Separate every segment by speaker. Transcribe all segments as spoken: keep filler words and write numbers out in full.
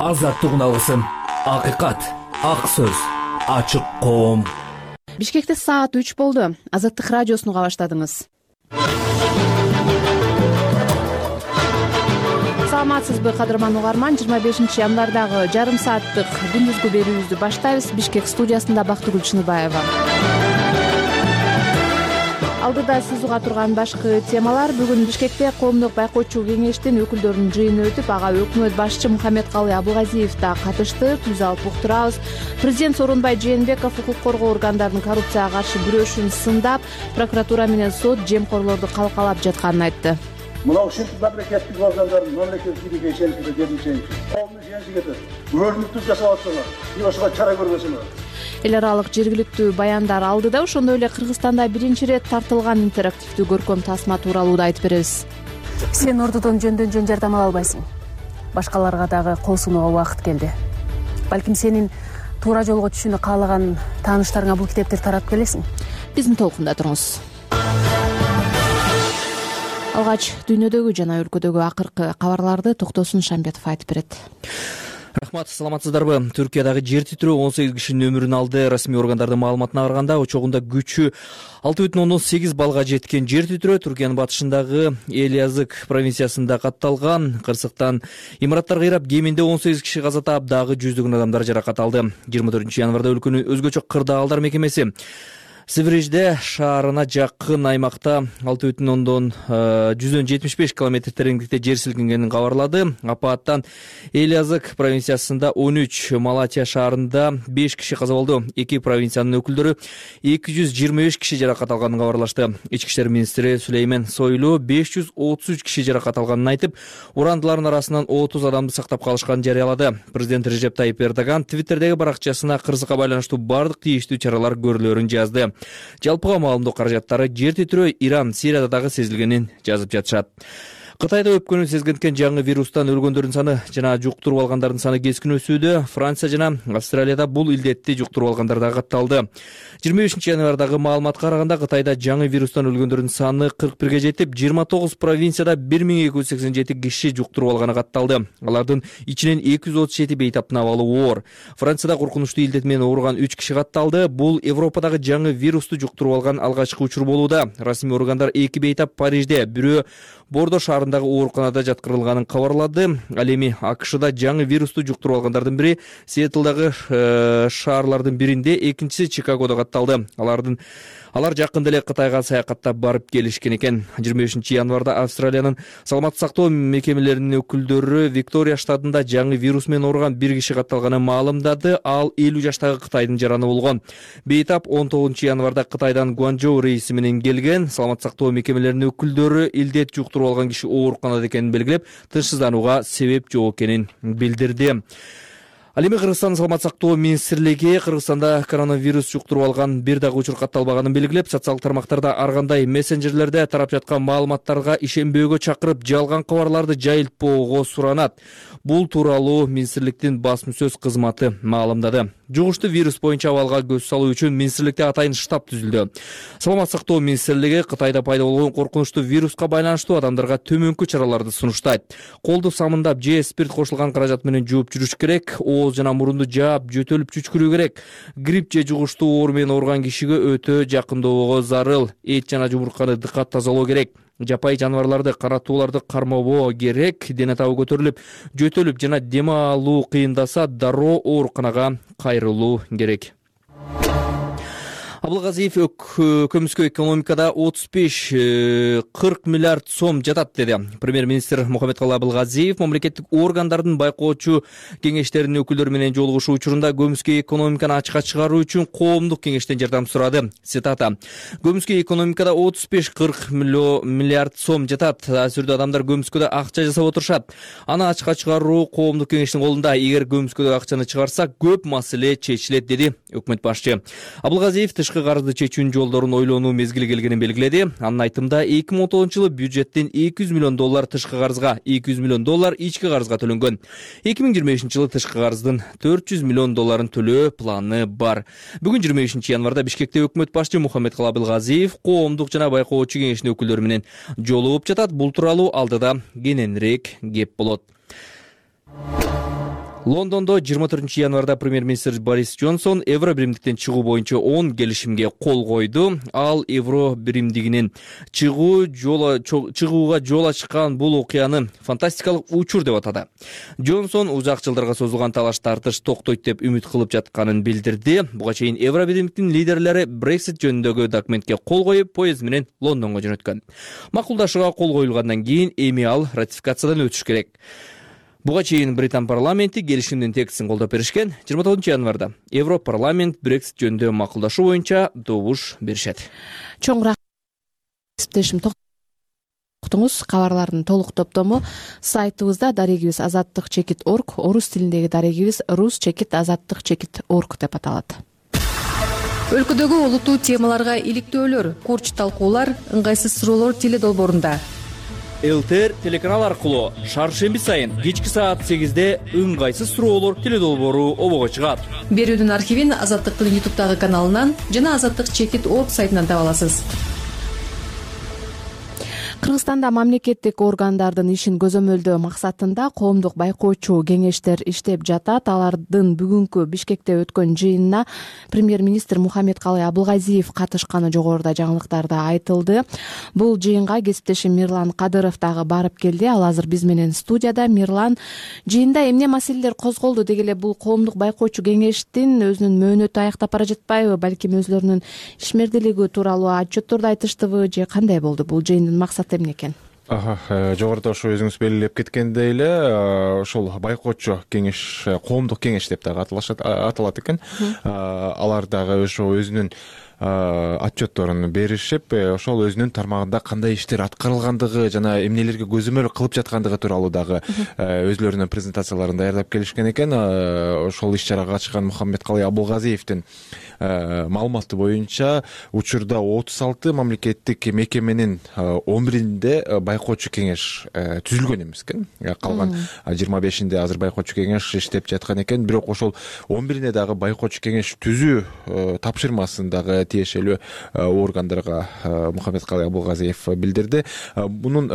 Speaker 1: азаттыгын алгысым. Акыйкат, ак сөз, ачык коом.
Speaker 2: Бишкекте саат үч болду. Азаттык радиосуну уга баштадыңыз. Саламатсызбы, кадырман угарман? жыйырма бешинчи январдагы жарым сааттык күндүзгү берүүбүздү баштайбыз. Бишкек студиясында Бактыгүл Чыныбаева. Алдыда сиз уга турган башкы темалар. Бүгүн Бишкекте коомдук байкоочу кеңештин өкүлдөрүнүн жыйыны өтүп, ага өкмөт башчы Мухаммедкалый Абылгазиев да катышты. Түз алып уктурабыз. Президент Сооронбай Жээнбеков укук коргоо органдарынын коррупцияга каршы күрөшүн сындап, прокуратура менен сот жемкорлорду калкалап жатканын айтты.
Speaker 3: Мына ушинтип мамлекеттик органдардын мамлекеттик бийликке ишениши, жерди ишениши, коомдун ишеничи кетет. Өрнүктүү жасап атсаңар, ошого чара көрбөсөңөр.
Speaker 2: Эл аралык жергиликтүү баяндар алдыда, ошондой эле Кыргызстанда биринчи ирет тартылган интерактивдүү көркөм тасма тууралуу да айтып беребиз. Сен ордодон жөндөн жөн жардам ала албайсың. Башкаларга дагы кол сунууга убакыт келди. Балким сенин туура жолго түшүүнү каалаган тааныштарыңа бул китепти таратып келесиң. Биздин толкунда туруңуз. Алгач дүйнөдөгү жана өлкөдөгү акыркы кабарларды Токтосун Шамбетов айтып берет.
Speaker 4: Рахмат, саламатсыздарбы? Түркиядагы жер титирөө он сегиз кишинин өмүрүн алды. Расмий органдардын маалыматына караганда, очогунда күчү алты бүтүн ондон сегиз балга жеткен жер титирөө Түркиянын батышындагы Элязык провинциясында катталган. Кырсыктан имараттар кыйрап, кеминде он сегиз киши каза таап, дагы жүздөгөн адамдар жаракат алды. жыйырма төртүнчү январда өлкөнүн өзгөчө кырдаалдар мекемеси Севрежде шаарына жакын аймакта алты бүтүн ондон жүздөн жетимиш беш километр тереңдикте жер силкингенин кабарлады. Апаттан Элязык провинциясында он үч, Малатия шаарында беш киши каза болду. Эки провинциянын өкүлдөрү эки жүз жыйырма беш киши жаракат алганын кабарлашты. Ички иштер министри Сүлеймен Сойлу беш жүз отуз үч киши жаракат алганын айтып, урандылардын арасынан отуз адамды сактап калышканын жарыялады. Президент Режеп Тайип Эрдоган Твиттердеги баракчасына кырсыкка байланыштуу бардык тийиштүү чаралар көрүлөрүн жазды. Жалпыга маалымдоо каражаттары жер титирөө Иран, Сирияда дагы сезилгенин жазып жатышат. Кытайда өпкөнү сезгенткен жаңы вирустан өлгөндөрдүн саны жана жуктуруп алгандардын саны кескин өсүүдө. Франция жана Австралияда бул илдетти жуктуруп алгандар да катталды. жыйырма бешинчи январдагы маалыматка караганда, Кытайда жаңы вирустан өлгөндөрдүн саны кырк бирге жетип, жыйырма тогуз провинцияда бир миң эки жүз сексен жети киши жуктуруп алганы катталды. Алардын ичинен эки жүз отуз жети бейтаптын абалы оор. Францияда коркунучтуу илдет менен ооруган үч киши катталды. Бул Европадагы жаңы вирусту жуктуруп алган алгачкы учур болууда. Расмий органдар эки бейтап Парижде, бирөө Бордо шаарындагы ооруканада жаткырылганын кабарлады. Ал эми АКШда жаңы вирусту жуктуруп алгандардын бири Сиэтлдагы шаарлардын биринде, экинчиси Чикагодо катталды. Алардын Алар жакында эле Кытайга саякаттап барып келишкен экен. жыйырма бешинчи январда Австралиянын саламаттык сактоо мекемелеринин өкүлдөрү Виктория штатында жаңы вирус менен ооруган бир киши катталганын маалымдады. Ал элүү жаштагы Кытайдын жараны болгон. Бейтап он тогузунчу январда Кытайдан Гуанчжоу рейси менен келген. Саламаттык сактоо мекемелеринин өкүлдөрү илдет жуктуруп алган киши ооруканада экенин белгилеп, тынчсызданууга себеп жок экенин билдирди. Ал эми Кыргызстан саламаттык сактоо министрлиги Кыргызстанда коронавирус жуктуруп алган бир дагы учур катталбаганын белгилеп, социалдык тармактарда ар кандай мессенджерлерде тарап жаткан маалыматтарга ишенбөөгө чакырып, жалган кабарларды жайылтпоого суранат. Бул тууралуу министрликтин басма сөз кызматы маалымдады. Жугуштуу вирус боюнча абалга көз салуу үчүн министрликте атайын штаб түзүлдү. Саламаттык сактоо министрлиги Кытайда пайда болгон коркунучтуу вируска байланыштуу адамдарга төмөнкү чараларды сунуштайт. Колду самындап же спирт кошулган каражат менен жууп жүрүш керек. Ооз жана мурунду жаап, жөтөлүп чүчкүрүү керек. Грипп же жугуштуу оору менен ооруган кишиге өтө жакындоого зарыл. Эт жана жумурканы дыкат тазалоо керек. Жапай жаныбарларды, каратууларды кармабоо керек. Дене табы көтөрүлүп, жөтөлүп жана дем алуу кыйындаса, дароо ооруканага кайрылуу керек. Абылгазиев көмүскө экономикада отуз беш кырк миллиард сом жатат деди. Премьер-министр Мухаммедкалый Абылгазиев мамлекеттик органдардын байкоочу кеңештеринин өкүлдөрү менен жолугушуу учурунда көмүскө экономиканы ачыкка чыгаруу үчүн коомдук кеңештен жардам сурады. Цитата: "Көмүскө экономикада отуз беш кырк миллиард сом жатат. Азырда адамдар көмүскөдө акча жасап отурушат. Аны ачыкка чыгаруу коомдук кеңештин колунда. Эгер көмүскөдө акчаны чыгарсак, көп маселе чечилет", деди өкмөт башчы. Абылгазиев тышкы карызды чечүүнүн жолдорун ойлонуу мезгили келгенин белгиледи. Анын айтымында эки миң он тогузунчу жылы бюджеттен эки жүз миллион доллар тышкы карызга, эки жүз миллион доллар ички карызга төлөнгөн. эки миң жыйырма бешинчи жылы тышкы карыздын төрт жүз миллион долларын төлөө планы бар. Бүгүн жыйырма бешинчи январда Бишкекте өкмөт башчы Мухаммедкалый Абылгазиев коомдук жана байкоочу кеңештин өкүлдөрү менен жолугуп жатат. Бул тууралуу алдыда кененирээк кеп болот. Лондондо жыйырма төртүнчү январда премьер-министр Борис Джонсон евро биримдиктен чыгуу боюнча он келишимге кол койду. Ал евро биримдигинин чыгуу жолу чыгууга жол ачкан бул окуяны фантастикалык учур деп атады. Джонсон узак жылдарга созулган талаш тартыш токтойт деп үмүт кылып жатканын билдирди. Буга чейин евро биримдиктин лидерлери Brexit жөнүндөгү документке кол коюп, поезд менен Лондонго жөнөткөн. Макулдашууга кол коюлгандан кийин эми ал ратификациядан өтүш керек. Буга чейин Британ парламенти келишимдин текстин колдоп беришкен. жыйырма тогузунчу январда Европарламент Brexit жөнүндө макулдашуу боюнча добуш беришет.
Speaker 2: Чоңураак кесиптешим токтоңуз. Кабарлардын толук топтому сайтыбызда дарегибиз азаттык чекит орг, орус тилиндеги дарегибиз рус чекит азаттык чекит орг деп аталат.
Speaker 5: Өлкөдөгү олуттуу темаларга иликтөөлөр, курч талкуулар, ыңгайсыз суроолор теле долбоорунда.
Speaker 4: ЛТР телеканал аркылуу шаршемби сайын кечки саат сегизде ыңгайсыз суроолор теле долбоору обого чыгат.
Speaker 5: Берүүдүн архивин Азаттыктын ютубтагы каналынан жана азаттык чекит орг сайтынан таба аласыз.
Speaker 2: Кыргызстанда мамлекеттик органдардын ишин көзөмөлдөө максатында коомдук байкоочу кеңештер иштеп жатат. Алардын бүгүнкү Бишкекте өткөн жыйынына премьер-министр Мухаммедкалый Абылгазиев катышканы жогоруда жаңылыктарда айтылды. Бул жыйынга кесиптешим Мирлан Кадыров дагы барып келди. Ал азыр биз менен студияда. Мирлан, жыйында эмне маселелер козголду деги эле бул коомдук байкоочу кеңештин өзүнүн мөөнөтү аяктап бара жатпайбы, балким өзлөрүнүн ишмердилиги тууралуу отчетторду айтыштыбы же кандай болду? Бул жыйындын максаты эмне экен?
Speaker 6: Жогоруда ошо өзүңүз белгилеп кеткендей эле ошол байкоочу кеңеш, коомдук кеңеш деп дагы аталат экен. Алар дагы ошо өзүнүн отчетторун беришип, ошол өзүнүн тармагында кандай иштер аткарылгандыгы жана эмнелерге көзөмөл кылып жаткандыгы тууралуу дагы өзлөрүнүн презентацияларын даярдап келишкен экен. Ошол иш-чарага катышкан Мухаммедкалый Абылгазиевдин маалыматы боюнча учурда отуз алты мамлекеттик мекеменин он биринде байкоочу кеңеш түзүлгөн эмес экен. Калган жыйырма бешинде азыр байкоочу кеңеш иштеп жаткан экен. Бирок ошол он биринде дагы байкоочу кеңеш түзүү тапшырмасын дагы тиешелүү органдарга Мухаммедкалый Абылгазиев билдирди. Бунун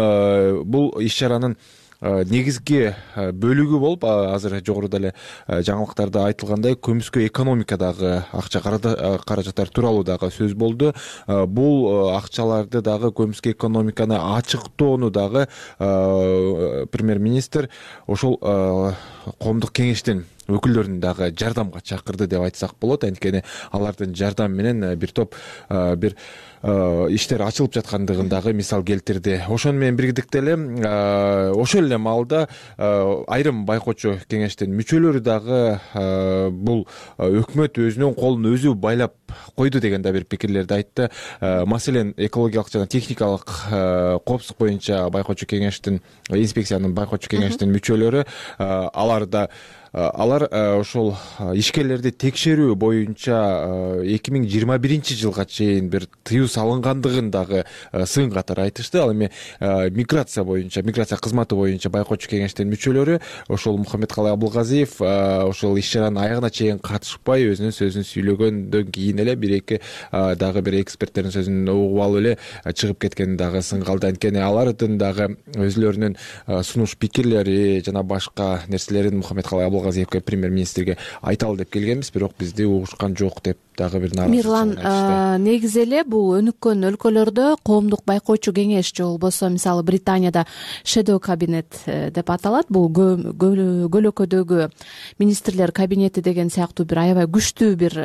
Speaker 6: бул иш-чаранын негизги бөлүгү болуп, азыр жогоруда эле жаңылыктарда айтылгандай, көмүскө экономикадагы акча каражаттар тууралуу дагы сөз болду. Бул акчаларды дагы көмүскө экономиканы ачыктоону дагы премьер-министр ошол коомдук кеңештин өкүлдөрүн дагы жардамга чакырды деп айтсак болот. Анткени алардын жардамы менен бир топ бир иштер ачылып жаткандыгын дагы мисал келтирди. Ошону менен бирдикте эле ошол эле маалда айрым байкоочу кеңештин мүчөлөрү дагы бул өкмөт өзүнүн колун өзү байлап койду деген да бир пикирлерди айтты. Маселен, экологиялык жана техникалык коопсуздук боюнча байкоочу кеңештин, инспекциянын байкоочу кеңештин мүчөлөрү алар да Алар ошол ишкерлерди текшерүү боюнча эки миң жыйырма биринчи жылга чейин бир тыюу салынгандыгын дагы сын катары айтышты. Ал эми миграция боюнча, миграция кызматы боюнча байкоочу кеңештин мүчөлөрү ошол Мухаммедкалый Абылгазиев ошол иш-чаранын аягына чейин катышпай өзүнүн сөзүн сүйлөгөндөн кийин эле бир эки дагы бир эксперттердин сөзүн угуп алып эле чыгып кеткени дагы сын калды. Анткени алардын дагы өзлөрүнүн сунуш пикирлери жана башка нерселерин Мухаммедкалый Абылгазиевке, премьер-министрге айталы деп келгенбиз, бирок бизди угушкан жок деп дагы бир нааразычылык айтышты.
Speaker 2: Мирлан, негизи эле бул өнүккөн өлкөлөрдө коомдук байкоочу кеңеш же болбосо мисалы Британияда shadow кабинет деп аталат. Бул көлөкөдөгү министрлер кабинети деген сыяктуу бир аябай күчтүү бир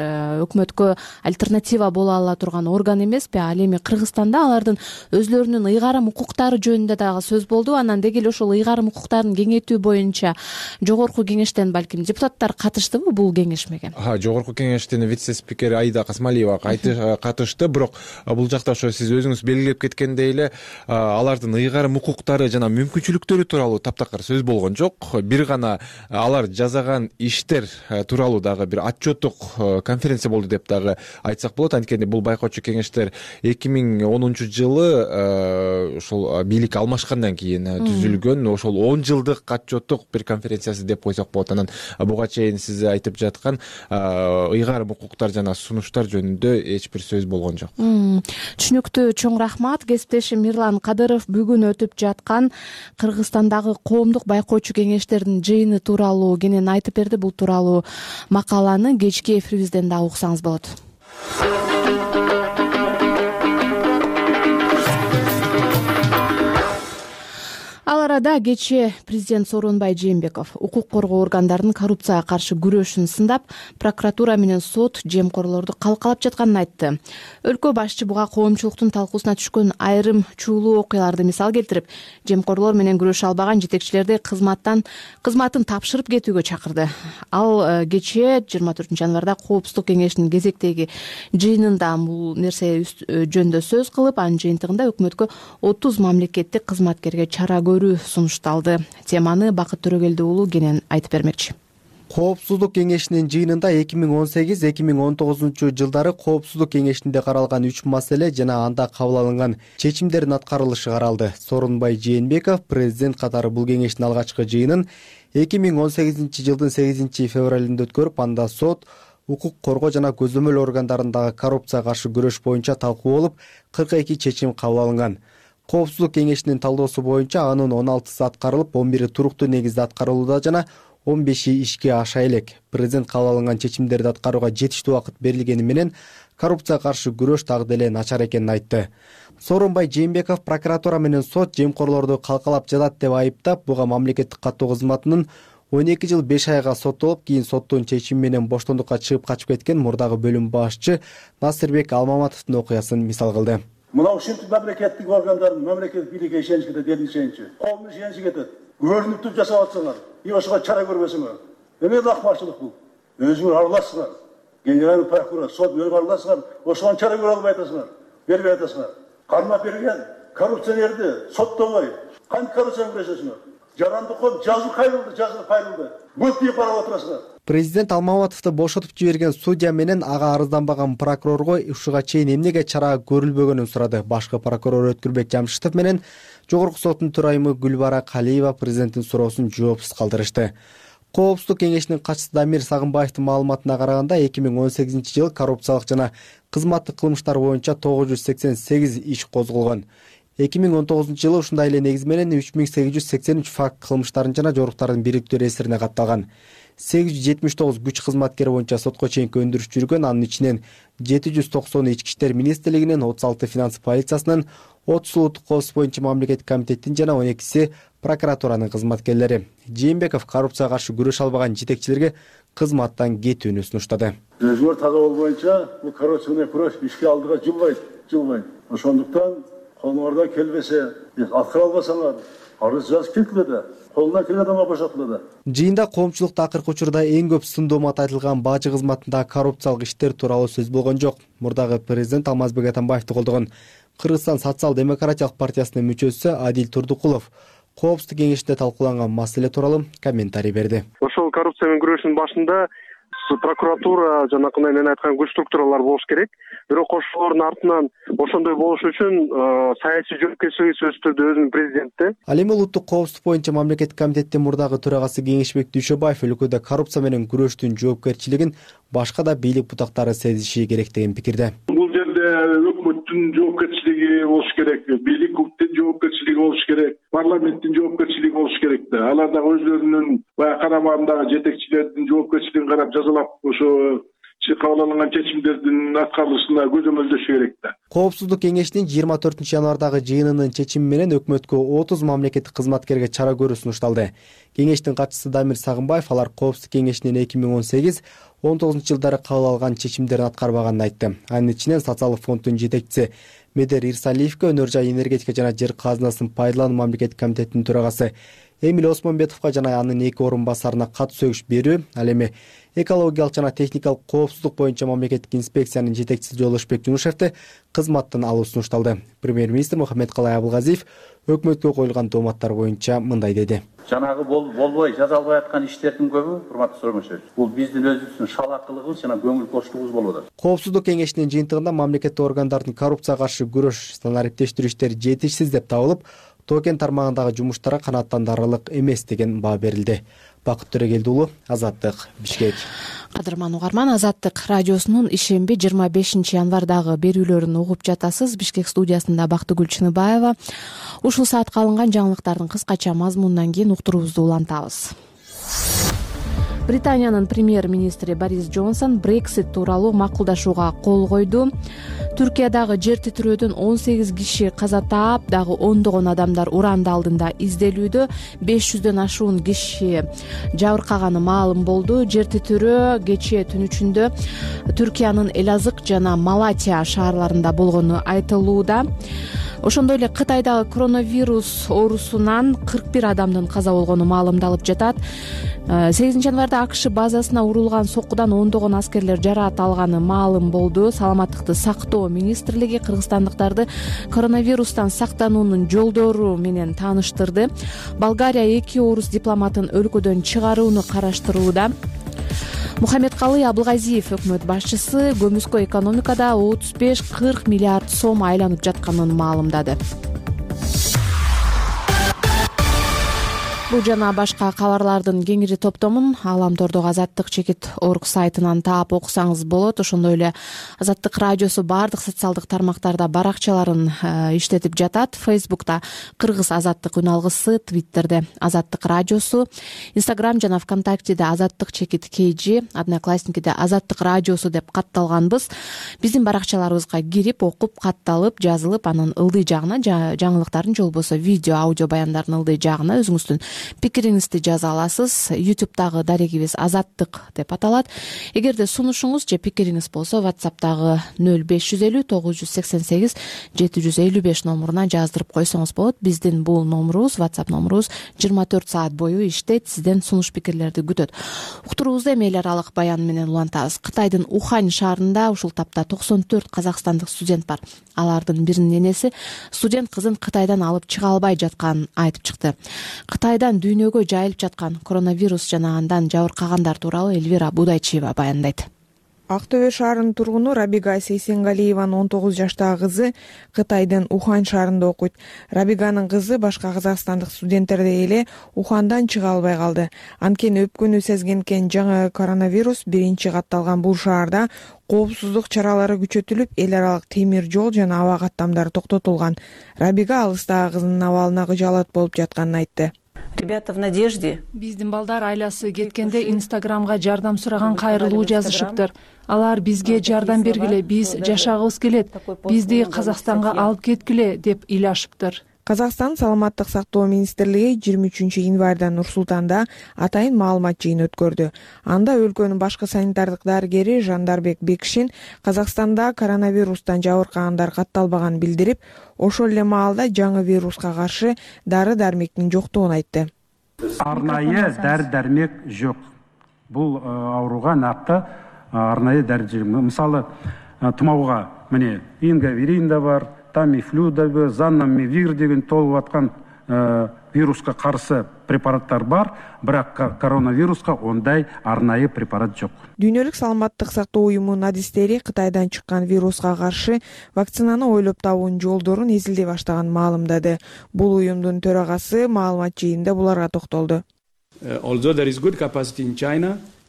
Speaker 2: өкмөткө альтернатива боло ала турган орган эмеспи? Ал эми Кыргызстанда алардын өзлөрүнүн ыйгарым укуктары жөнүндө дагы сөз болду. Анан деги эле ошол ыйгарым укуктарын кеңейтүү боюнча жогорку кеңештен балким депутаттар катыштыбы бул кеңешмеге?
Speaker 6: Жогорку кеңештин вице-спикери Аида Касмалиева катышты, бирок бул жакта ошо сиз өзүңүз белгилеп кеткендей эле алардын ыйгарым укуктары жана мүмкүнчүлүктөрү тууралуу таптакыр сөз болгон жок. Бир гана алар жасаган иштер тууралуу дагы бир отчеттук конференция болду деп дагы айтсак болот. Анткени бул байкоочу кеңештер эки миң онунчу жылы ошол бийлик алмашкандан кийин түзүлгөн. Ошол он жылдык отчеттук бир конференциясы деп койсок болот. Анан буга чейин сиз айтып жаткан ыйгарым укуктар жана сунуштар жөнүндө эч бир сөз болгон жок.
Speaker 2: Түшүнүктүү, чоң рахмат. Кесиптешим Мирлан Кадыров бүгүн өтүп жаткан Кыргызстандагы коомдук байкоочу кеңештердин жыйыны тууралуу кенен айтып берди. Бул тууралуу макаланы кечки эфирибизден да уксаңыз болот. Ал арада кечээ президент Сооронбай Жээнбеков укук коргоо органдарынын коррупцияга каршы күрөшүн сындап, прокуратура менен сот жемкорлорду калкалап жатканын айтты. Өлкө башчы буга коомчулуктун талкуусуна түшкөн айрым чуулуу окуяларды мисал келтирип, жемкорлор менен күрөшө албаган жетекчилерди кызматтан кызматын тапшырып кетүүгө чакырды. Ал кечээ жыйырма төртүнчү январда Коопсуздук кеңешинин кезектеги жыйынында бул нерсе жөнүндө сөз кылып, анын жыйынтыгында өкмөткө отуз мамлекеттик кызматкерге чара сунушталды. Теманы Бакыт Төрөгелди уулу кенен айтып бермекчи.
Speaker 7: Коопсуздук кеңешинин жыйынында эки миң он сегиз эки миң он тогузунчу жылдары Коопсуздук кеңешинде каралган үч маселе жана анда кабыл алынган чечимдердин аткарылышы каралды. Сооронбай Жээнбеков президент катары бул кеңештин алгачкы жыйынын эки миң он сегизинчи жылдын сегизинчи февралында өткөрүп, анда сот, укук коргоо жана көзөмөл органдарындагы коррупцияга каршы күрөш боюнча талкуу болуп, кырк эки чечим кабыл алынган. Коопсуздук кеңешинин талоосу боюнча анын он алтысы аткарылып, он бири туруктуу негизде аткарылууда жана он беши ишке аша элек. Президент кабыл алынган чечимдерди аткарууга жетиштүү убакыт берилгени менен коррупцияга каршы күрөш дагы деле начар экенин айтты. Сооронбай Жээнбеков прокуратура менен сот жемкорлорду калкалап жатат деп айыптап, буга мамлекеттик каттоо кызматынын он эки жыл беш айга соттолуп, кийин соттун чечими менен боштондукка чыгып качып кеткен мурдагы бөлүм башчы Насырбек Алмаматовдун окуясын мисал кылды.
Speaker 3: Мынау ушинтип мамлекеттик органдардын мамлекеттик бийликке ишенич кетет, эл ишеничи. Коомдун ишеничи кетет. Көрүнүктүү жасап атсаңар, и ошого чара көрбөсөңөр. Эмне акмарчылык бул? Өзүңөр аралашсыңар. Генеральный прокурор, сот өзүңөр аралашсыңар, ошого чара көрө албай атасыңар. Бербей атасыңар. Кармап берген коррупционерди соттобой, кантип коррупцияны күрөшөсүңөр? Жаранды коп, жазуу кайрылды, жазуу кайрылды. Бут деп карап отурасыңар.
Speaker 7: Президент Алмаматовду бошотуп жиберген судья менен ага арызданбаган прокурорго ушуга чейин эмнеге чара көрүлбөгөнүн сурады. Башкы прокурор Өткүрбек Жамшитов менен Жогорку соттун төрайымы Гүлбара Калиева президенттин суроосун жоопсуз калтырышты. Коопсуздук кеңешинин катчысы Дамир Сагынбаевдин маалыматына караганда, эки миң он сегизинчи жылы коррупциялык жана кызматтык кылмыштар боюнча тогуз жүз сексен сегиз иш козголгон. эки миң он тогузунчу жылы ушундай эле негиз менен үч миң сегиз жүз сексен үч факт кылмыштардын жана жоруктардын бириктүү эсирине катталган. сегиз жүз жетимиш тогуз күч кызматкери боюнча сотко чейинки өндүрүш жүргөн, анын ичинен жети жүз токсону ички иштер министрлигинин, отуз алты финанс полициясынын, отуз улуттук коопсуздук боюнча мамлекеттик комитеттин жана он экиси прокуратуранын кызматкерлери. Жээнбеков коррупцияга каршы күрөшө албаган жетекчилерге кызматтан кетүүнү сунуштады.
Speaker 3: Өзүңөр таза болбоюнча бул коррупцияны күрөш ишке алдыга жылбайт, жылбайт. Ошондуктан колуңардан келбесе, аткара албасаңар, арыз жазып кетилди. Колунан келген адамга бошотулду.
Speaker 7: Жыйында коомчулукта акыркы учурда эң көп сын доомат айтылган бажы кызматындагы коррупциялык иштер тууралуу сөз болгон жок. Мурдагы президент Алмазбек Атамбаевди колдогон Кыргызстан социал-демократиялык партиясынын мүчөсү Адил Турдукулов Коопсуздук кеңешинде талкууланган маселе тууралуу комментарий берди.
Speaker 8: Ошол коррупция менен күрөшүнүн башында прокуратура жанакындай мен айткан күч структуралар болуш керек. Бирок ошолордун артынан ошондой болуш үчүн саясий жоопкерчилиги сөзсүз түрдө өзүнүн президентте.
Speaker 7: Ал эми улуттук коопсуздук боюнча мамлекеттик комитеттин мурдагы төрагасы Кеңешбек Дүйшөбаев өлкөдө коррупция менен күрөштүн жоопкерчилигин башка да бийлик бутактары сезиши керек деген пикирде.
Speaker 9: Бул жерде өкмөттүн жоопкерчилиги болуш керек, бийликтин жоопкерчилиги болуш керек, парламенттин жоопкерчилиги болуш керек да. Алар дагы өзлөрүнүн баягы карамагындагы жетекчилердин жоопкерчилигин карап жазалап, ошо кабыл алынган чечимдердин аткарылышына көзөмөлдөшү керек да.
Speaker 7: Коопсуздук кеңешинин жыйырма төртүнчү январдагы жыйынынын чечими менен өкмөткө отуз мамлекеттик кызматкерге чара көрүү сунушталды. Кеңештин катчысы Дамир Сагынбаев алар Коопсуздук кеңешинин эки миң он сегиз он тогузунчу жылдары кабыл алган чечимдерин аткарбаганын айтты. Анын ичинен социалдык фонддун жетекчиси Медер Ирсалиевке, өнөр жай энергетика жана жер казынасын пайдалануу мамлекеттик комитетинин төрагасы Эмил Осмонбетовго жана анын эки орун басарына кат сөгүш берүү, ал эми экологиялык жана техникалык коопсуздук боюнча мамлекеттик инспекциянын жетекчиси Жолдошбек Жунушевди кызматтан алуу сунушталды. Премьер-министр Мухаммедкалай Абылгазиев өкмөткө коюлган дооматтар боюнча мындай деди.
Speaker 10: жанагы болбой жазалбай аткан иштердин көбү, урматтуу Сооронбашевич, бул биздин өзүбүздүн шалаакылыгыбыз жана көңүл коштугубуз болуп атат.
Speaker 7: Коопсуздук кеңешинин жыйынтыгында мамлекеттик органдардын коррупцияга каршы күрөш санариптештирүү иштери жетишсиз деп табылып, тоо кен тармагындагы жумуштарга канааттандырарлык эмес деген баа берилди. Бакыт Төрөгелди уулу, Азаттык, Бишкек.
Speaker 2: Кадырман угарман, Азаттык радиосунун ишемби жыйырма бешинчи январдагы берүүлөрүн угуп жатасыз. Бишкек студиясында Бактыгүл Чыныбаева. Ушул саатка алынган жаңылыктардын кыскача мазмунунан кийин уктуруубузду улантабыз. Британиянын премьер-министри Борис Джонсон Брексит тууралуу макулдашууга кол койду. Түркиядагы жер титирөөдөн он сегиз киши каза таап, дагы ондогон адамдар уранды алдында изделүүдө. беш жүздөн ашуун киши жабыркаганы маалым болду. Жер титирөө кечээ түн ичинде Түркиянын Элазык жана Малатия шаарларында болгону айтылууда. Ошондой эле Кытайдагы коронавирус оорусунан кырк бир адамдын каза болгону маалымдалып жатат. сегизинчи январда АКШ базасына урулган соккудан ондогон аскерлер жараат алганы маалым болду. Саламаттыкты сактоо министрлиги кыргызстандыктарды коронавирустан сактануунун жолдору менен тааныштырды. Болгария эки орус дипломатын өлкөдөн чыгарууну караштырууда. Мухаммедкалый Абылгазиев өкмөт башчысы көмүскө экономикада отуз беш кырк миллиард сом айланып жатканын маалымдады. Бул жана башка кабарлардын кеңири топтомун Аламтордогу Азаттык чекит орг сайтынан таап окусаңыз болот. Ошондой эле Азаттык радиосу баардык социалдык тармактарда баракчаларын иштетип жатат. Фейсбукта Кыргыз Азаттык үн алгысы, Твиттерде Азаттык радиосу, Инстаграм жана ВКонтактеде Азаттык чекит кейжи, Одноклассникиде Азаттык радиосу деп катталганбыз. Биздин баракчаларыбызга кирип, окуп, катталып, жазылып, анын ылдый жагына, жаңылыктардын же болбосо видео, аудио баяндардын ылдый жагына өзүңүздүн пикириңизди жаза аласыз. ютубтагы дарегибиз Азаттык деп аталат. Эгерде сунушуңуз же пикириңиз болсо, WhatsApp'тагы нөл беш жүз элүү тогуз жүз сексен сегиз жети жүз элүү беш номуруна жаздырып койсоңуз болот. Биздин бул номурубуз, WhatsApp номурубуз жыйырма төрт саат бою иштейт. Сизден сунуш пикирлерди күтөт. Уктуруубузду эми эл аралык баян менен улантабыз. Кытайдын Ухань шаарында ушул тапта токсон төрт казакстандык студент бар. Алардын биринин энеси студент кызын Кытайдан алып чыга албай жатканын айтып чыкты. Кытайдан дүйнөгө жайылып жаткан коронавирус жана андан жабыркагандар тууралуу Эльвира Будайчиева баяндайт.
Speaker 11: Ак Төбө шаарынын тургуну Рабига Сейсенгалиеванын он тогуз жаштагы кызы Кытайдын Ухань шаарында окуйт. Рабиганын кызы башка казакстандык студенттердей эле Ухандан чыга албай калды. Анткени өпкөнү сезгенкен жаңы коронавирус биринчи катталган бул шаарда коопсуздук чаралары күчөтүлүп, эл аралык темир жол жана аба каттамдары токтотулган. Рабига алыстагы кызынын абалына кыжаалат болуп жатканын айтты.
Speaker 12: Ребята в надежде.
Speaker 13: Биздин балдар айласы кеткенде Инстаграмга жардам сураган кайрылуу жазышыптыр. Алар бизге жардам бергиле, биз жашагыбыз келет, бизди Казакстанга алып кеткиле деп ыйлашыптыр.
Speaker 11: Казакстан саламаттык сактоо министрлиги жыйырма үчүнчү январда Нур-Султанда атайын маалымат жыйыны өткөрдү. Анда өлкөнүн башкы санитардык дарыгери Жандарбек Бекшин Казакстанда коронавирустан жабыркагандар катталбаганын билдирип, ошол эле маалда жаңы вируска каршы дары-дармектин жоктугун айтты.
Speaker 14: Арнайы дары-дармек жок. Бул ооруга накты арнайы дары-дармек. Мисалы, тумоого міне ингаверин да бар, тамифлю да бар, занамивир деген толуп аткан вируска каршы препараттар бар, бирок коронавируска ондай арнайы препарат жок.
Speaker 11: Дүйнөлүк саламаттык сактоо уюмунун адистери Кытайдан чыккан вируска каршы вакцинаны ойлоп табуунун жолдорун эзилдей баштаганын маалымдады. Бул уюмдун төрагасы маалымат жыйынында буларга токтолду.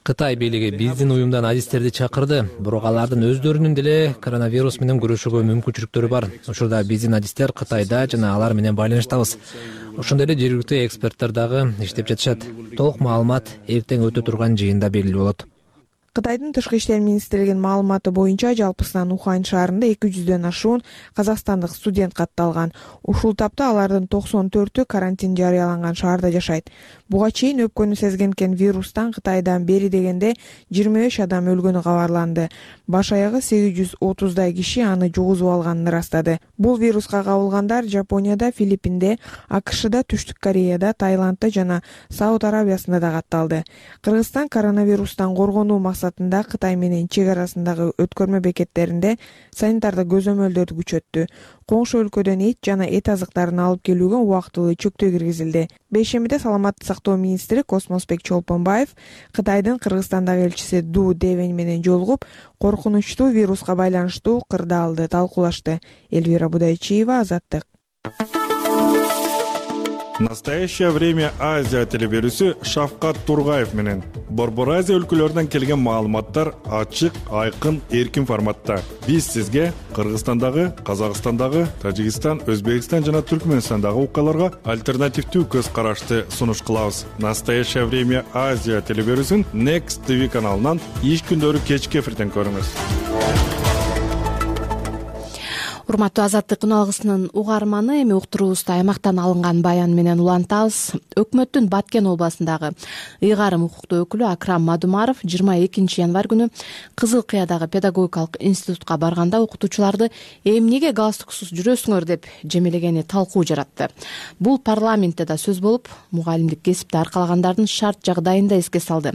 Speaker 15: Кытай бийлиги биздин уюмдан адистерди чакырды, бирок алардын өздөрүнүн деле коронавирус менен күрөшүүгө мүмкүнчүлүктөрү бар. Учурда биздин адистер Кытайда жана алар менен байланыштабыз. Ошондой эле жергиликтүү эксперттер дагы иштеп жатышат. Толук маалымат эртең өтө турган жыйында белгилүү болот.
Speaker 11: Кытайдын тышкы иштер министрлигинин маалыматы боюнча жалпысынан Ухань шаарында эки жүздөн ашуун казакстандык студент катталган. Ушул тапта алардын токсон төртү карантин жарыяланган шаарда жашайт. Буга чейин өпкөнү сезгенкен вирустан Кытайдан бери дегенде жыйырма беш адам өлгөнү кабарланды. Баш аягы сегиз жүз отуздай киши аны жугузуп алганын ырастады. Бул вируска кабылгандар Жапонияда, Филиппинде, АКШда, Түштүк Кореяда, Таиландда жана Сауд Арабиясында да катталды. Кыргызстан коронавирустан коргонуу максатында максатында Кытай менен чек арасындагы өткөрмө бекеттеринде санитардык көзөмөлдөрдү күчөттү. Коңшу өлкөдөн эт жана эт азыктарын алып келүүгө убактылуу чектөө киргизилди. Бейшембиде саламаттык сактоо министри Космосбек Чолпонбаев Кытайдын Кыргызстандагы элчиси Ду Девень менен жолугуп, коркунучтуу вируска байланыштуу кырдаалды талкуулашты. Элвира Будайчиева, Азаттык.
Speaker 16: Настоящее время Азия телеберүүсү Шавкат Тургаев менен Борбор Азия өлкөлөрүнөн келген маалыматтар ачык, айкын, эркин форматта. Биз сизге Кыргызстандагы, Казакстандагы, Тажикстан, Өзбекстан жана Түркмөнстандагы окуяларга альтернативдүү көз карашты сунуш кылабыз. Настоящее время Азия телеберүүсүн Next ти ви каналынан иш күндөрү кечки эфирден көрүңүз.
Speaker 2: Урматтуу Азаттык күн алгысынын угарманы, эми уктуруубузду аймактан алынган баян менен улантабыз. Өкмөттүн Баткен областындагы ыйгарым укуктуу өкүлү Акрам Мадумаров жыйырма экинчи январь күнү Кызыл Кыядагы педагогикалык институтка барганда окутуучуларды эмнеге галстуксуз жүрөсүңөр деп жемелегени талкуу жаратты. Бул парламентте да сөз болуп, мугалимдик кесипти аркалагандардын шарт жагдайын да эске салды.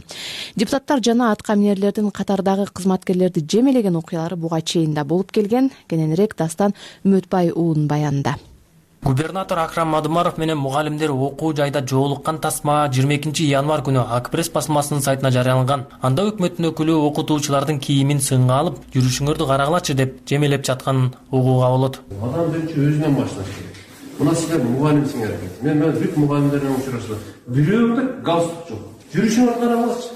Speaker 2: Депутаттар жана атка минерлердин катардагы кызматкерлерди жемелеген окуялары буга чейин да болуп келген. Кененирээк Дастан Үмөтбай уулунун баянында.
Speaker 17: Губернатор Акрам Мадумаров менен мугалимдер окуу жайда жоолуккан тасма жыйырма экинчи январь күнү Акпресс басмасынын сайтына жарыяланган. Анда өкмөттүн өкүлү окутуучулардын кийимин сынга алып, жүрүшүңөрдү карагылачы деп жемелеп жатканын угууга болот.
Speaker 18: Адам биринчи өзүнөн башташ керек. Мына силер мугалимсиңер. Мен мен бүт мугалимдер менен учурашып, бирөөңдө галстук жок. Жүрүшүңөрдү карагылачы.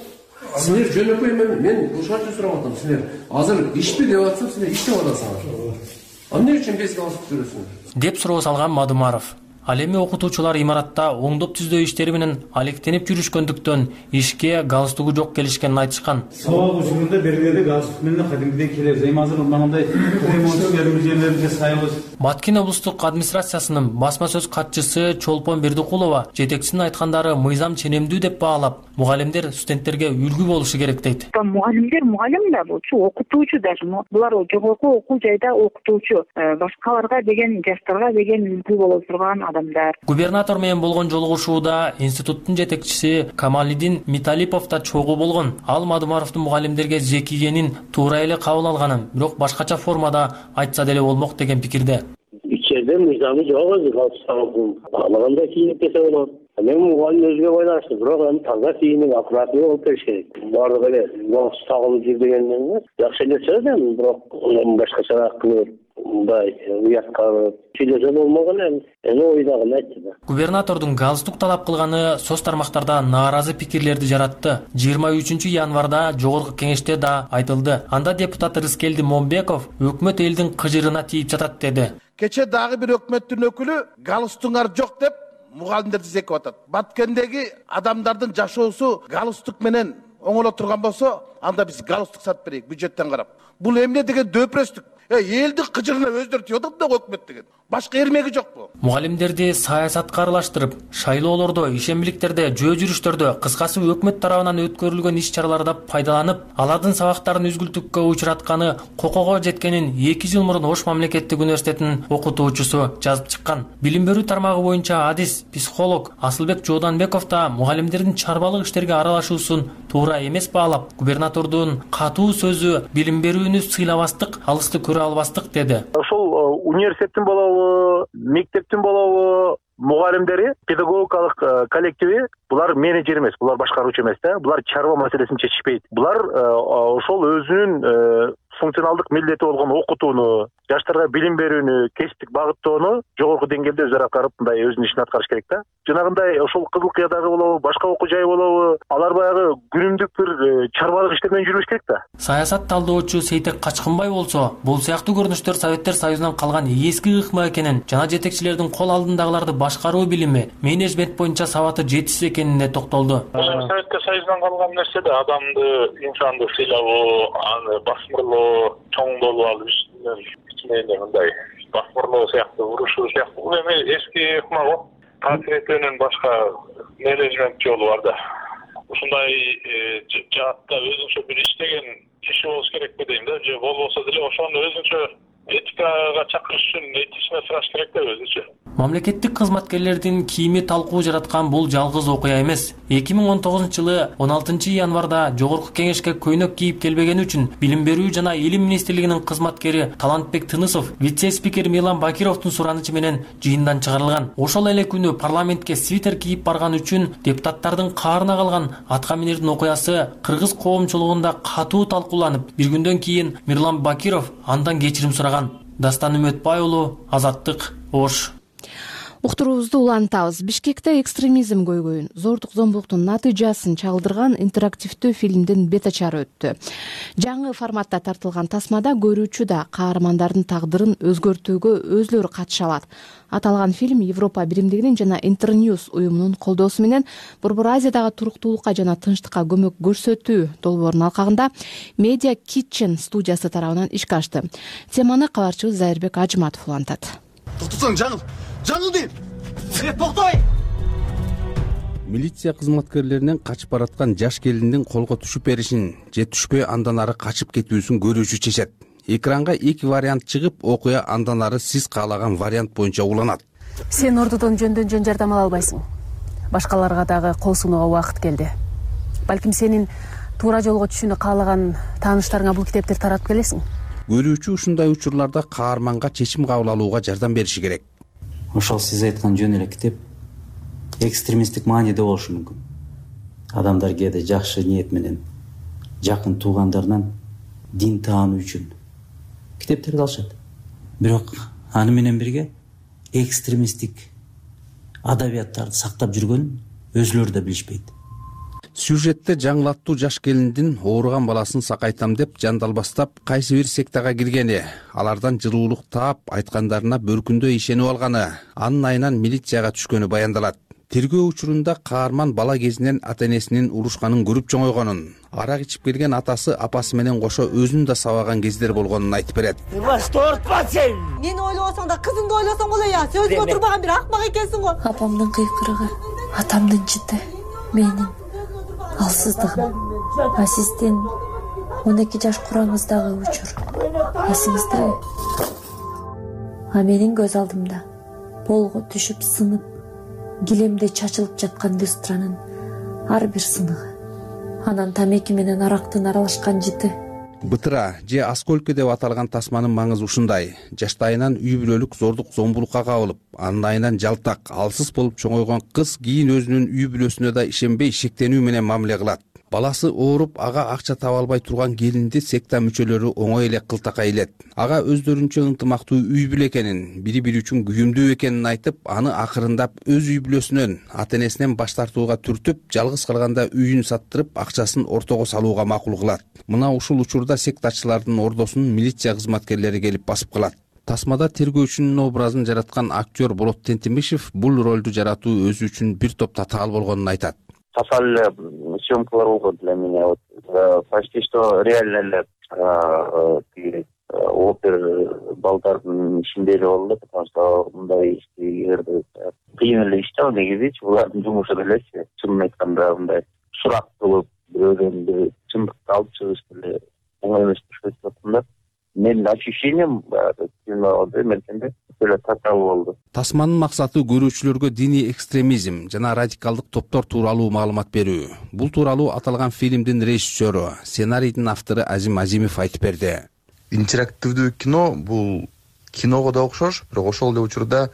Speaker 18: Силер жөнөкөй мен мен ушарчы сурап атам. Силер азыр ишпи деп атсам, силер иштеп атасыңар. Эмне үчүн без галстук жүрөсүңөр?
Speaker 17: Деп суроо салган Мадумаров. Ал эми окутуучулар имаратта оңдоп түздөө иштери менен алектенип жүрүшкөндүктөн ишке галстугу жок келишкенин айтышкан.
Speaker 19: Сабак учурунда бергенде галстук менен кадимгидей келебиз. Эми азыр мындай ремонттуу эрежелерди жасайбыз.
Speaker 17: Баткен облустук администрациясынын басма сөз катчысы Чолпон Бердикулова жетекчисинин айткандары мыйзам ченемдүү деп баалап, мугалимдер студенттерге үлгү болушу керек дейт.
Speaker 20: Мугалимдер мугалим да болчу, окутуучу да. Булар жогорку окуу жайда окутуучу, башкаларга деген, жаштарга деген үлгү боло турган адамдар.
Speaker 17: Губернатор менен болгон жолугушууда институттун жетекчиси Камалидин Миталипов да чогуу болгон. Ал Мадумаровдун мугалимдерге зекигенин туура эле кабыл алганын, бирок башкача формада айтса деле болмок деген пикирде.
Speaker 21: Ичерде мыйзамы жок, галстук баглаганда кийинип кете болот. Мен мугалим өзүгө байланыштуу, бирок эми таза кийинип, аккуратный болуп бериш керек. Баардыгы эле галстук тагылып жүр дегенден жакшы нерсе да, бирок башкача кылып, мындай уятка сүйлөсө болмогон эми. Эми ойдагын айтты да.
Speaker 17: Губернатордун галстук талап кылганы соц тармактарда нааразы пикирлерди жаратты. жыйырма үчүнчү январда жогорку кеңеште да айтылды. Анда депутат Рыскелди Момбеков өкмөт элдин кыжырына тийип жатат деди.
Speaker 22: Кече дагы бир өкмөттүн өкүлү галстугуңар жок деп мугалимдерди зекип атат. Баткендеги адамдардын жашоосу галстук менен оңоло турган болсо, анда биз галстук сатып берейик бюджеттен карап. Бул эмне деген дөпүрөстүк. Э, элдин кыжырына өздөрү тийип да өкмөт деген. Башка эрмеги жокпу?
Speaker 17: Мугалимдерди саясатка аралаштырып, шайлоолордо, ишембиликтерде, жөө жүрүштөрдө, кыскасы өкмөт тарабынан өткөрүлгөн иш-чараларда пайдаланып, алардын сабактарын үзгүлтүккө учуратканы кокого жеткенин эки жыл мурун Ош мамлекеттик университетинин окутуучусу жазып чыккан. Билим берүү тармагы боюнча адис, психолог Асылбек Жооданбеков да мугалимдердин чарбалык иштерге аралашуусун туура эмес баалап, губернатордун катуу сөзү билим берүүнү сыйлабастык, алысты көрө албастык деди.
Speaker 21: Ошол университеттин болобу, мектептин болобу мугалимдери, педагогикалык коллективи булар менеджер эмес, булар башкаруучу эмес да, булар чарба маселесин чечишпейт. Булар ошол өзүнүн функционалдык милдети болгон окутууну, жаштарга билим берүүнү, кесиптик багыттоону жогорку деңгээлде өзү аткарып, мындай өзүнүн ишин аткарыш керек да. Жанагындай ошол Кызыл Кыядагы болобу, башка окуу жай болобу, алар баягы күнүмдүк бир чарбалык иштер менен жүрүш керек да.
Speaker 17: Саясат талдоочу Сейтек Качкынбай болсо, бул сыяктуу көрүнүштөр Советтер Союзунан калган эски ыкма экенин, жана жетекчилердин кол алдындагыларды башкаруу билими, менеджмент боюнча сабаты жетишсиз экенине токтолду.
Speaker 23: Советтер Союзунан калган нерсе да адамды, инсанды сыйлабоо, аны басмырлоо, чоңдолуп алып ичинен мындай басмырлоо сыяктуу урушуу сыяктуу. Бул эми эски ыкма го. Таасир башка менеджмент жолу бар да. Ушундай жаатта өзүнчө бир иштеген киши болуш керекпи дейм да. Же болбосо деле ошону өзүнчө этикага чакырыш үчүн этичный сураш керек да өзүчө.
Speaker 17: Мамлекеттик кызматкерлердин кийими талкуу жараткан бул жалгыз окуя эмес. эки миң он тогузунчу жылы он алтынчы январда Жогорку Кеңешке көйнөк кийип келбегени үчүн Билим берүү жана Илим министрлигинин кызматкери Талантбек Тынысов вице-спикер Мирлан Бакировдун суранычы менен жыйындан чыгарылган. Ошол эле күнү парламентке свитер кийип барган үчүн депутаттардын каарына калган атка минердин окуясы кыргыз коомчулугунда катуу талкууланып, бир күндөн кийин Мирлан Бакиров андан кечирим сураган. Дастан Үмөтбай уулу, Азаттык, Ош.
Speaker 2: Уктуруубузду улантабыз. Бишкекте экстремизм көйгөйүн, зордук зомбулуктун натыйжасын чагылдырган интерактивдүү фильмдин бет ачары өттү. Жаңы форматта тартылган тасмада көрүүчү да каармандардын тагдырын өзгөртүүгө өзлөрү катыша алат. Аталган фильм Европа биримдигинин жана Интерnews уюмунун колдоосу менен Борбор Азиядагы туруктуулукка жана тынчтыкка көмөк көрсөтүү долбоорунун алкагында Media Kitchen студиясы тарабынан ишке ашты. Теманы кабарчыбыз Зайырбек Ажыматов улантат.
Speaker 1: Токтосоң, жаңыл! Жаңыл дейм! Токтой!
Speaker 4: Милиция кызматкерлеринен качып бараткан жаш келиндин колго түшүп беришин же түшпөй андан ары качып кетүүсүн көрүүчү чечет. Экранга эки вариант чыгып, окуя андан ары сиз каалаган вариант боюнча уланат.
Speaker 2: Сен ордодон жөндөн жөн жардам ала албайсың. Башкаларга дагы кол сунууга убакыт келди. Балким сенин туура жолго түшүүнү каалаган тааныштарыңа бул китепти таратып келесиң.
Speaker 4: Көрүүчү ушундай учурларда каарманга чечим кабыл алууга жардам бериши керек.
Speaker 5: Ошол сиз айткан жөн эле китеп экстремисттик мааниде болушу мүмкүн. Адамдар кээде жакшы ниет менен жакын туугандарынан дин таануу үчүн китептерди алышат. Бирок аны менен бирге экстремисттик адабияттарды сактап жүргөнүн өзүлөрү да билишпейт.
Speaker 4: Сюжетте жаңылаттуу жаш келиндин ооруган баласын сакайтам деп жандалбастап кайсы бир сектага киргени, алардан жылуулук таап, айткандарына бөркүндөй ишенип алганы, анын айынан милицияга түшкөнү баяндалат. Тергөө учурунда каарман бала кезинен ата-энесинин урушканын көрүп чоңойгонун, арак ичип келген атасы апасы менен кошо өзүн да сабаган кездер болгонун айтып берет.
Speaker 24: Ортпа сен! Мени ойлосоң да кызыңды ойлосоң боло я, сөзгө турбаган бир акмак экенсиң го.
Speaker 25: Апамдын кыйкырыгы, атамдын жыты, менин алсыздыгым. А сиздин он эки жаш кураңыздагы учур эсиңиздеби? А менин көз алдымда болго түшүп сынып, килемде чачылып жаткан люстранын ар бир сыныгы, анан тамеки менен арактын аралашкан жыты.
Speaker 4: Бытыра же осколки деп аталган тасманын маңызы ушундай. Жаштайынан үй бүлөлүк зордук зомбулукка кабылып, анын айынан жалтак, алсыз болуп чоңойгон кыз кийин өзүнүн үй бүлөсүнө да ишенбей шектенүү менен мамиле кылат. Баласы ооруп, ага акча таба албай турган келинди секта мүчөлөрү оңой эле кылтакка илет. Ага өздөрүнчө ынтымактуу үй бүлө экенин, бири-бири үчүн күйүмдүү экенин айтып, аны акырындап өз үй бүлөсүнөн, ата-энесинен баш тартууга түртүп, жалгыз калганда үйүн саттырып, акчасын ортого салууга макул кылат. Мына ушул учурда сектачылардын ордосун милиция кызматкерлери келип басып калат. Тасмада тергөөчүнүн образын жараткан актер Болот Тентимишев бул ролду жаратуу өзү үчүн бир топ татаал болгонун айтат.
Speaker 26: Татаал съемкалар болгон для меня, вот почти что реально эле опер балдардын ичинде эле болду, потому что мындай ишти кыйын эле иш да негизичи, булардын жумушу эле чынын айтканда мындай сурак кылып, бирөөнүн бир чындыкты алып чыгыш деле оңой эмес деп атам да. Менин ощущением менде эле татаал болду.
Speaker 4: Тасманын максаты көрүүчүлөргө диний экстремизм жана радикалдык топтор тууралуу маалымат берүү. Бул тууралуу аталган фильмдин режиссеру, сценарийдин автору Азим Азимов айтып берди.
Speaker 27: Интерактивдүү кино бул киного да окшош, бирок ошол эле учурда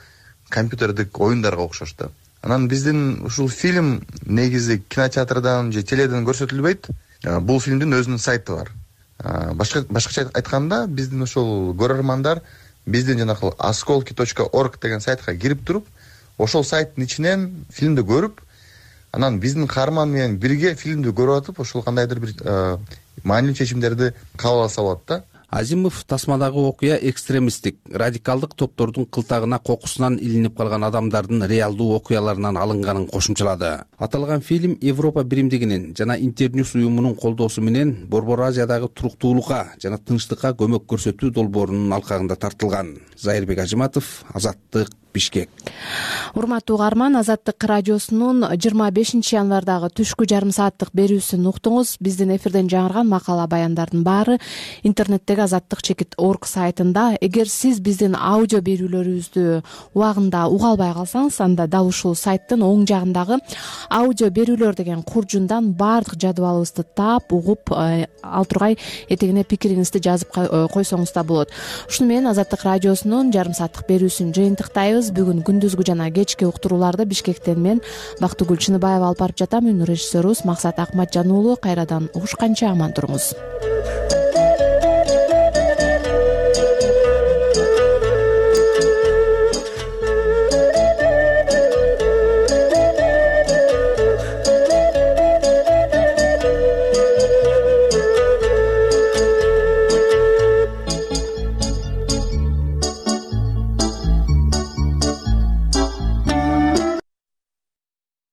Speaker 27: компьютердик оюндарга окшош да. Анан биздин ушул фильм негизи кинотеатрдан же теледен көрсөтүлбөйт. Бул фильмдин өзүнүн сайты бар. Башка башкача айтканда, биздин ошол көрөрмандар биздин жанакы осколки точка орг деген сайтка кирип туруп, ошол сайттын ичинен фильмди көрүп, анан биздин каарман менен бирге фильмди көрүп атып, ошол кандайдыр бир маанилүү чечимдерди кабыл алса болот да.
Speaker 4: Азимов тасмадагы окуя экстремисттик, радикалдык топтордун кылтагына кокусунан илинип калган адамдардын реалдуу окуяларынан алынганын кошумчалады. Аталган фильм Европа биримдигинин жана Интерnews уюмунун колдоосу менен Борбор Азиядагы туруктуулукка жана тынчтыкка көмөк көрсөтүү долбоорунун алкагында тартылган. Зайырбек Ажыматов, Азаттык, Бишкек.
Speaker 2: Урматтуу угарман, Азаттык радиосунун жыйырма бешинчи январдагы түшкү жарым сааттык берүүсүн уктуңуз. Биздин эфирден жаңырган макала баяндардын баары интернеттеги азаттык чекит орг сайтында эгер сиз биздин аудио берүүлөрүбүздү убагында уга албай калсаңыз, анда дал ушул сайттын оң жагындагы аудио берүүлөр деген куржундан баардык жадыбалыбызды таап угуп, ал тургай этегине пикириңизди жазып койсоңуз да болот. Ушуну менен Азаттык радиосунун жарым сааттык берүүсүн жыйынтыктайбыз. Бүгүн күндүзгү жана кечки уктурууларды Бишкектен мен Бактыгүл Чыныбаева алып барып жатам. Үнү режиссерубуз Максат Акматжан уулу. Кайрадан угушканча аман туруңуз.